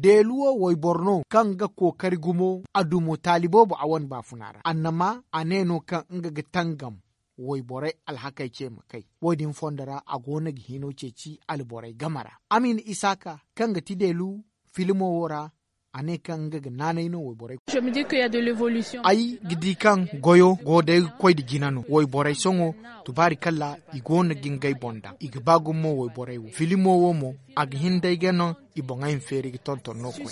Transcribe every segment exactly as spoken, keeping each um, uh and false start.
Deelu wo wayboro no kaŋ ga kookari gumo a dumo taali boobo a wane baafuna ra annama a ne no kaŋ nga ga tangam wayborey alhakey ce ma kay. Wo-din fondo ra a go no ga hino ceeci alborey game ra. Amin isaaka kaŋ ga ti deelu filmo wo ra a ne kaŋ nga ga naanay no wayborey. Ay ga di kaŋ goyo go day ga koy nda jina no wayborey sohõ tubaari kalla i go no ga ngey boŋ daŋ i ga ba gumo wayborey wo filmo wo mo a ga hin day ga no i boŋey ma feeri ga tonton no koy.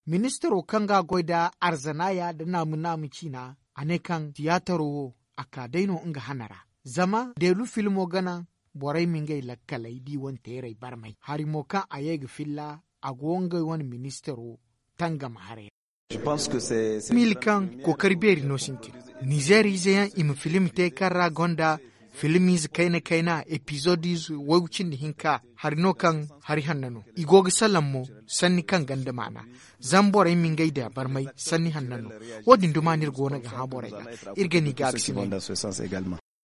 Ministaro kaŋ ga a goy nda arzanaya nda naamu naamu ciina a ne kaŋ tiyaataro wo a ka day no nga hana ra. Zama deelu filmo ga naŋ borey ma ngey lakkaley da i wane teerey barmay hari mo kaŋ a ye ga filla a go ngey wane ministaro tangam haray ra. Miila kaŋ kookari beeri no sintin nizeeriize yaŋ i ma filim te kaŋ ra gonda filimiize kayna kayna epizoodiize waygu cindi hinka hari no kaŋ hari hanna no i go ga salaŋ mo sanni kaŋ gonda maana. Zama borey ma ngey da barmay sanni hanna no. Wo-din duma no iri go no ga hã borey ga iri ga ni gaakasinay.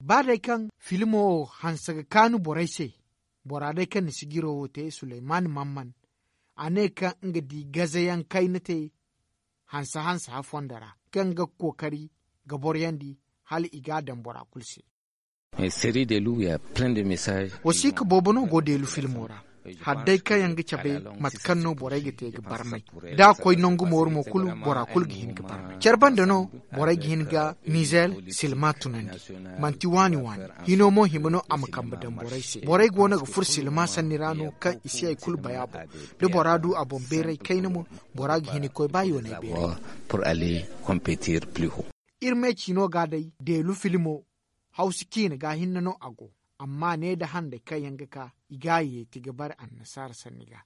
Ba day kaŋ filmo wo hanse ga kaanu borey se bora day kaŋ na sijiro wo te suleyman mamman a ne kaŋ nga di gazayaŋ kayna te hanse hanse hafondo ra kaŋ ga kookari ga boryandi hala i ga a daŋ bora kulu se. Wasiika boobo no go deelu filmo ra. Hala day kaŋ yaŋ ga cabe mate kaŋ no borey ga te ga barmay da a koy nangu mooru mo kulu bora kulu ga hin ga barmay care banda no borey ga hin ga nizer silma tunandi. Manti waani waani hino mo hima no a ma kambe daŋ borey se borey go no ga furo silma sanni ra no kaŋ i si hari kulu bay a boŋ. Da bora du a boŋ beeray kayna mo bora ga hin ga koy ba yoonay beeray. Iri me ciino ga day deelu filmo hawsu ciine ga hinne no a go. Amma ne nda handey kaŋ yaŋ ga ka i ga a yeeti ga bare annasaara sanni ga.